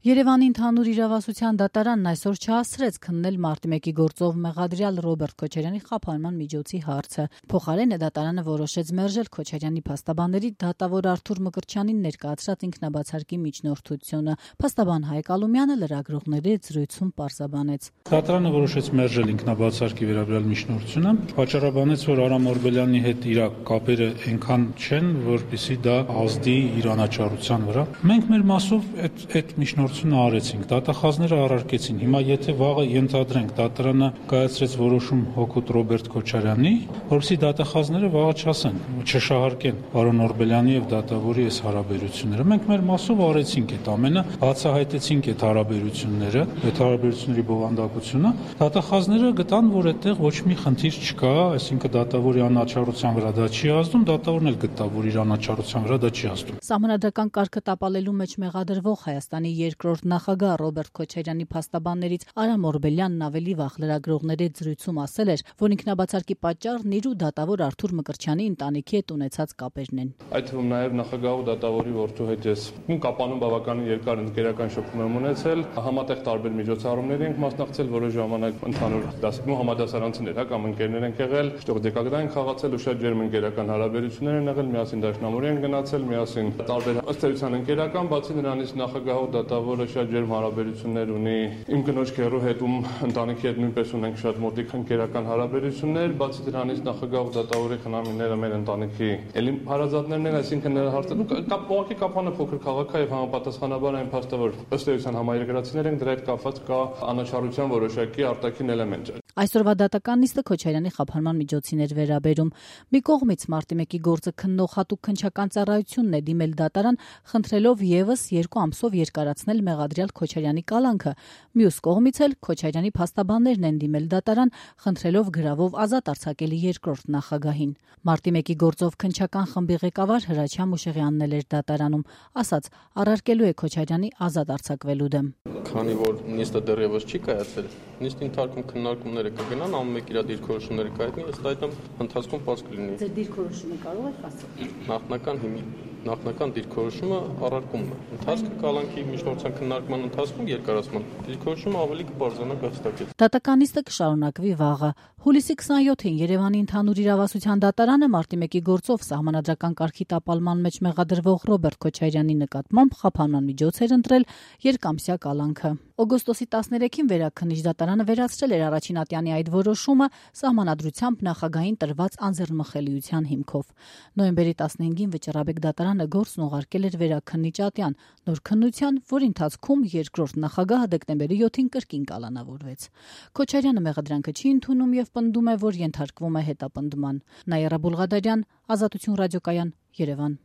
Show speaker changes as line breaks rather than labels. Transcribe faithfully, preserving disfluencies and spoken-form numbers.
Երևանի ընդհանուր իրավասության դատարանն այսօր չհասցրեց քննել մարտի մեկի գործով մեղադրյալ Ռոբերտ Քոչարյանի խափանման միջոցի հարցը։ Փոխարենը դատարանը որոշեց մերժել Քոչարյանի փաստաբանների դատավոր Արթուր Մկրտչյանին ներկայացրած ինքնաբացարկի միջնորդությունը։ Փաստաբան Հայկ Ալումյանը լրագրողների հետ զրույցում պարզաբանեց.
Դատարանը որոշեց մերժել ինքնաբացարկի վերաբերյալ միջնորդությունը, պատճառաբանեց, որ Արամ Օրբելյանի հետ իր կապերը այնքան չեն, որպեսզի դա ազդի իր անաչառության վրա։ Մենք մեր մասով այդ այդ միջնորդությունը արեցինք, դատախազները առարկեցին։ Հիմա եթե վաղը ենթադրենք դատարանը կայացրեց որոշում հօգուտ Ռոբերտ Քոչարյանի, որովհետեւ դատախազները վաղը չասեն, չշահարկեն պարոն Օրբելյանի եւ դատավորի այս հարաբերությունները։ Մենք մեր մասով արեցինք այդ ամենը, բացահայտեցինք այդ հարաբերությունները, այդ հարաբերությունների բովանդակությունը։ Դատախազները գտան, որ այդտեղ ոչ մի խնդիր չկա, այսինքն դատավորի անաչառության վրա դա չի ազդում, դատավորն էլ գտավ, որ իր անաչառության վրա դա չի ազդում։
Սահմանադրական կարգը տապալելու մեջ մեղադրվող Հայաստանի երկրորդ նախագահ Ռոբերտ Քոչարյանի փաստաբաններից Արամ Օրբելյանն ավելի վաղ լրագրողների հետ զրույցում ասել էր, որ ինքնաբացարկի պատճառն իր ու դատավոր Արթուր Մկրտչյանի ընտանիքի հետ ունեցած կապերն են։
Այդ թվում նաև նախագահու դատավորի որդու հետ ես կապանում բավականին երկար ընկերական շփում եմ ունեցել, համատեղ տարբեր միջոցառումների ենք մասնակցել, որոշ ժամանակ ընդհանուր դասակում համադասարանցիներ, հա, կամ ընկերներ ենք եղել, շտուղ դեկագրային խաղացել ու շատ ջերմ ընկերական հարաբերություններ են եղել, միասին դաշնամուրի են գնացել, միասին տարբեր ըստ էության ընկերական, բացի նրանից նախագահու դատավորը շատ ջերմ հարաբերություններ ունի իմ կնոջ քեռու հետ, ում ընտանիքի հետ նույնպես ունենք շատ մոտիկ ընկերական հարաբերություններ, բացի դրանից նախագահու դատավորի խնամիները մեր ընտանիքի էլի հարազատներն են, այսինքն նրա հարցը կապ ողակի կապանը փոքր քաղաք է եւ համապատասխանաբար այն փաստը, որ ըստ էության համայրգրացիներ են, դրա հետ կապված կա անաչառության որոշակի արտաքին էլեմենտ։
Այսօրվա դատական նիստը Քոչարյանի խափանման միջոցին էր վերաբերում։ Մի կողմից մարտի մեկի գործը քննող հատուկ քննչական ծառայությունն է դիմել դատարան, խնդրելով եւս երկու ամսով երկարացնել մեղադրյալ Քոչարյանի կալանքը։ Մյուս կողմից էլ Քոչարյանի փաստաբաններն են դիմել դատարան, խնդրելով գրավով ազատ արձակել երկրորդ նախագահին։ Մարտի մեկի գործով քննչական խմբի ղեկավար Հրաչյա Մուշեղյանն էր դատարանում, ասաց, առարկելու է Քոչարյանի ազատ արձակվելու դեմ։
Քանի որ նիստը դեռևս չի կայացել, նիստի ընթացքում քննարկումները կգնան, ամեն մեկ իր դիրքորոշումները կայացնի, ըստ այդմ ընթացքում պարզ կլինի։
Ձեր դիրքորոշումը կարող եք ասել։
Նախնական հիմի նախնական դիրքորոշումը առարկումն է։ Ընթացքը կալանքի միջնորդության քննարկման ընթացքում երկարացման դիրքորոշումը ավելի կբարձրանա կհստակեց։
Դատական նիստը կշարունակվի վաղը։ Հուլիսի քսաներկուին Երևանի ընդհանուր իրավասության դատարանը մարտի մեկի գործով սահմանադրական կարգի տապալման մեջ մեղադրվող Ռոբերտ Քոչարյանի նկատմամբ խափանման միջոց էր ընտրել երկամսյա կալանքը։ Օգոստոսի տասներեքին վերաքննիչ դատարանը վերացրել էր առաջին ատյանի այդ որոշումը սահմանադրությամբ նախագահին տրված անձեռնմխելիության հիմքով։ Նոյեմբերի տասնհինգին Վճռաբեկ դատարանը գործն ուղարկել էր վերաքննիչ ատյան նոր քննության, որի ընթացքում երկրորդ նախագահը դեկտեմբերի յոթին կրկին կալանավորվեց։ Քոչարյանը մեղադրանքը չի ընդունում եւ պնդում է, որ ենթարկվում է հետապնդման։ Նաիրա Բուլղադարյան, Ազատություն ռադիոկայան, Երևան։